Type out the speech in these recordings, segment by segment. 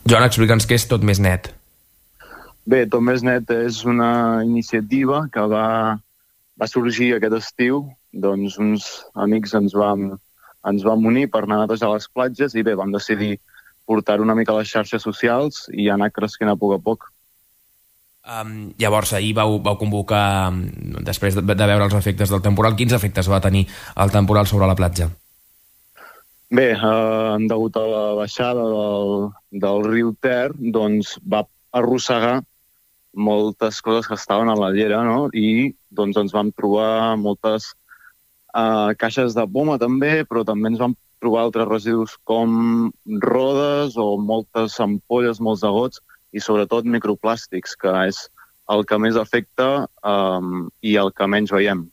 Joan, explica'ns què és Tot Més Net. Bé, Tot Més Net és una iniciativa que va sorgir aquest estiu. Doncs uns amics ens vam unir per anar a netejar les platges i bé, vam decidir portar una mica a les xarxes socials i anar cresquent a poc. Llavors, ahir vau convocar, després de veure els efectes del temporal, quins efectes va tenir el temporal sobre la platja? Bé, degut a la baixada del riu Ter, doncs va arrossegar moltes coses que estaven a la llera, no? I doncs ens vam trobar moltes caixes de poma també, però també ens vam trobar altres residus com rodes o moltes ampolles, molts agots i sobretot microplàstics, que és el que més afecta i el que menys veiem.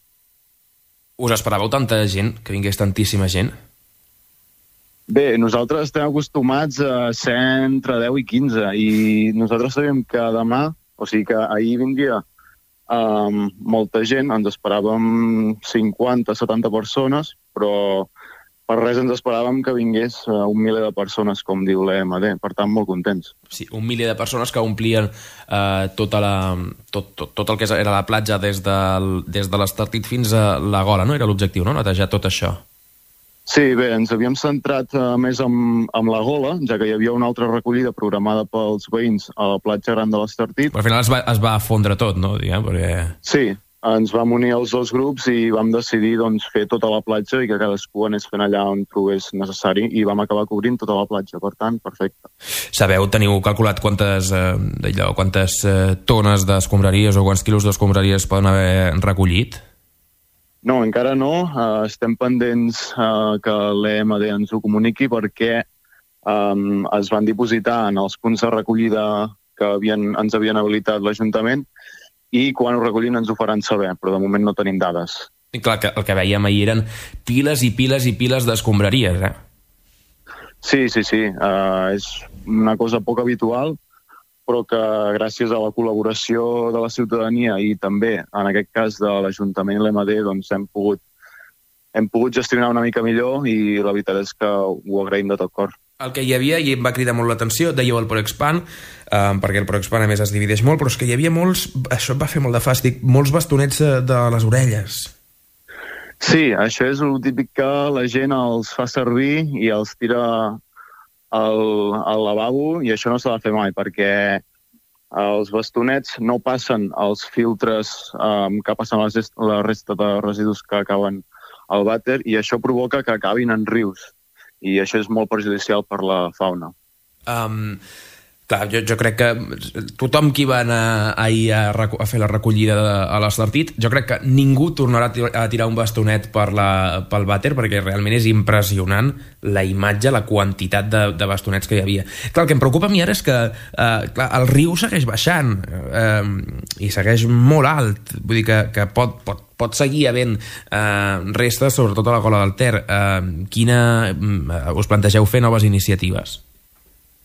Us esperàveu tanta gent, que vingués tantíssima gent? Bé, nosaltres estem acostumats a ser entre 10 i 15 i nosaltres sabíem que demà, o sigui que ahir vindria molta gent, ens esperàvem 50-70 persones, però per res ens esperàvem que vingués un miler de persones, com diu l'EMD, per tant, molt contents. Sí, un miler de persones que omplien tot el que era la platja des de l'Estartit fins a la Gola, no? Era l'objectiu, no? Netejar tot això. Sí, bé, ens havíem centrat més amb la Gola, ja que hi havia una altra recollida programada pels veïns a la platja gran de l'Estartit. Però al final es va fondre tot, no? Diguem, perquè... Sí, ens vam unir els dos grups i vam decidir doncs, fer tota la platja i que cadascú anés fent allà on trobés necessari i vam acabar cobrint tota la platja, per tant, perfecte. Teniu calculat quantes tones d'escombraries o quants quilos d'escombraries poden haver recollit? No, encara no. Estem pendents que l'EMD ens ho comuniqui perquè es van dipositar en els punts de recollida que ens havien habilitat l'Ajuntament i quan ho recollin ens ho faran saber, però de moment no tenim dades. I clar, el que veiem ahir eren piles i piles i piles d'escombraries, eh? Sí. És una cosa poc habitual, però que gràcies a la col·laboració de la ciutadania i també, en aquest cas, de l'Ajuntament i l'EMD, doncs hem pogut gestionar una mica millor i la veritat és que ho agraïm de tot cor. El que hi havia, i em va cridar molt l'atenció, dèieu el Proexpan, perquè el Proexpan a més es divideix molt, però és que hi havia molts, això em va fer molt de fàstic, molts bastonets de les orelles. Sí, això és el típic que la gent els fa servir i els tira al lavabo i això no s'ha de fer mai perquè els bastonets no passen els filtres que passen la resta de residus que acaben al vàter i això provoca que acabin en rius i això és molt perjudicial per la fauna. Clar, jo crec que tothom qui va anar ahir a fer la recollida a l'Estartit, jo crec que ningú tornarà a tirar un bastonet pel vàter perquè realment és impressionant la imatge, la quantitat de bastonets que hi havia. Clar, el que em preocupa a mi ara és que clar, el riu segueix baixant i segueix molt alt, vull dir que pot seguir havent restes, sobretot a la Gola del Ter. Us plantegeu fer noves iniciatives?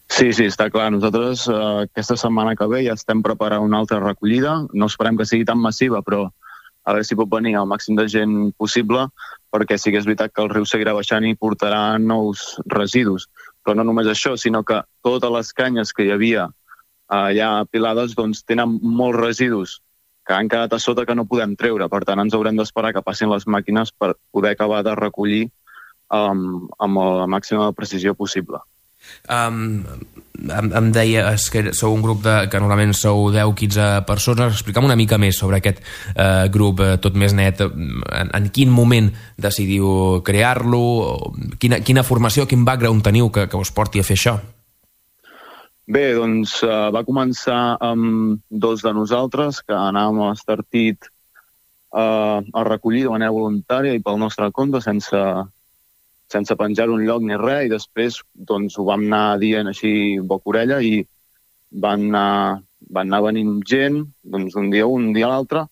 Sí, està clar. Nosaltres aquesta setmana que ve ja estem preparant una altra recollida. No esperem que sigui tan massiva, però a veure si pot venir el màxim de gent possible, perquè sí que és veritat que el riu seguirà baixant i portarà nous residus. Però no només això, sinó que totes les canyes que hi havia allà apilades doncs, tenen molts residus que han quedat a sota que no podem treure. Per tant, ens haurem d'esperar que passin les màquines per poder acabar de recollir amb la màxima precisió possible. Em deies que sou un grup que normalment sou 10-15 persones. Explica'm una mica més sobre aquest grup Tot Més Net. En quin moment decidiu crear-lo? Quina formació, quin background teniu que us porti a fer això? Bé, doncs va començar amb dos de nosaltres que anàvem a l'Estartit a recollir de manera voluntària i pel nostre compte sense penjar un lloc ni res, i després doncs, ho vam anar dient així boca-orella i van anar venint gent doncs, un dia a l'altre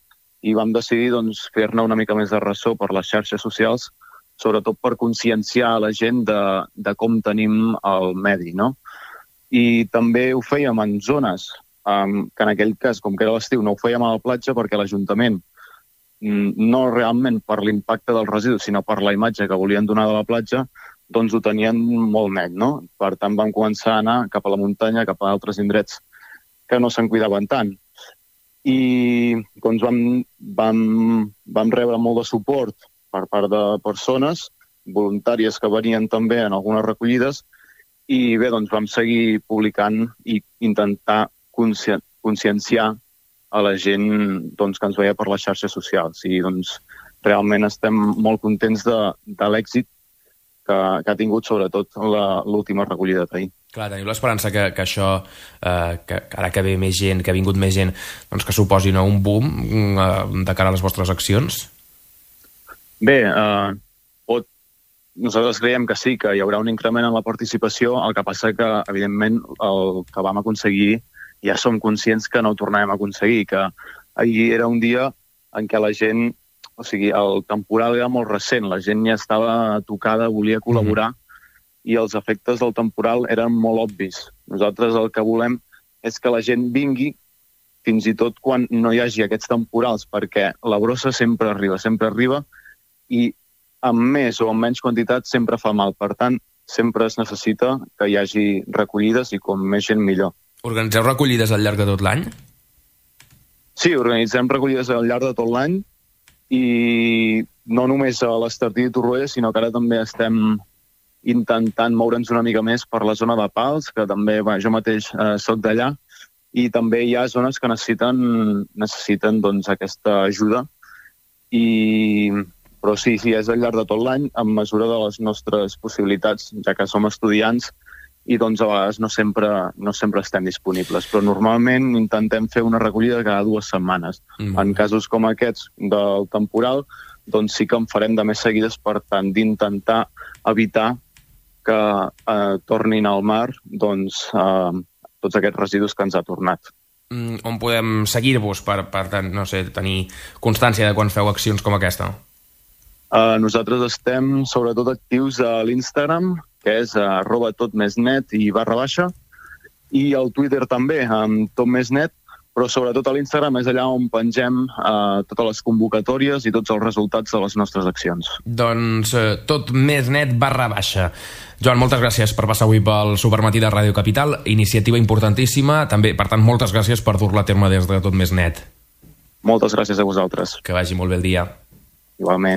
i vam decidir doncs, fer-ne una mica més de ressò per les xarxes socials, sobretot per conscienciar la gent de com tenim el medi, no? I també ho fèiem en zones que en aquell cas, com que era l'estiu, no ho fèiem a la platja perquè l'Ajuntament no realment per l'impacte dels residus, sinó per la imatge que volien donar de la platja, doncs ho tenien molt net, no? Per tant, vam començar a anar cap a la muntanya, cap a altres indrets que no se'n cuidaven tant. I doncs vam rebre molt de suport per part de persones voluntàries que venien també en algunes recollides i bé, doncs vam seguir publicant i intentar conscienciar a la gent doncs, que ens veia per les xarxes socials. I doncs realment estem molt contents de l'èxit que ha tingut sobretot l'última recollida d'ahir. Clar, teniu l'esperança que això, que ara que ve més gent, que ha vingut més gent, doncs que suposi un boom de cara a les vostres accions? Bé, nosaltres creiem que sí, que hi haurà un increment en la participació, el que passa que, evidentment, el que vam aconseguir ja som conscients que no ho tornarem a aconseguir, que ahir era un dia en què la gent, o sigui, el temporal era molt recent, la gent ja estava tocada, volia col·laborar, i els efectes del temporal eren molt obvis. Nosaltres el que volem és que la gent vingui fins i tot quan no hi hagi aquests temporals, perquè la brossa sempre arriba, i amb més o amb menys quantitat sempre fa mal. Per tant, sempre es necessita que hi hagi recollides i com més gent millor. Organitzeu recollides al llarg de tot l'any? Sí, organitzem recollides al llarg de tot l'any i no només a l'Estartit i Torroella, sinó que ara també estem intentant moure'ns una mica més per la zona de Pals, que també jo mateix soc d'allà, i també hi ha zones que necessiten doncs, aquesta ajuda. Però sí, és al llarg de tot l'any, en mesura de les nostres possibilitats, ja que som estudiants, i doncs a vegades no sempre estem disponibles. Però normalment intentem fer una recollida cada 2 setmanes. En casos com aquests del temporal, doncs sí que en farem de més seguides per tant d'intentar evitar que tornin al mar doncs, tots aquests residus que ens ha tornat. On podem seguir-vos per no sé, tenir constància de quan feu accions com aquesta? Nosaltres estem sobretot actius a l'Instagram, que és @totmesnet i /, i al Twitter també, amb totmesnet, però sobretot a l'Instagram és allà on pengem totes les convocatòries i tots els resultats de les nostres accions. Doncs totmesnet /. Joan, moltes gràcies per passar avui pel Supermatí de Ràdio Capital, iniciativa importantíssima, també, per tant, moltes gràcies per dur-la a terme des de Totmesnet. Moltes gràcies a vosaltres. Que vagi molt bé el dia. Igualment.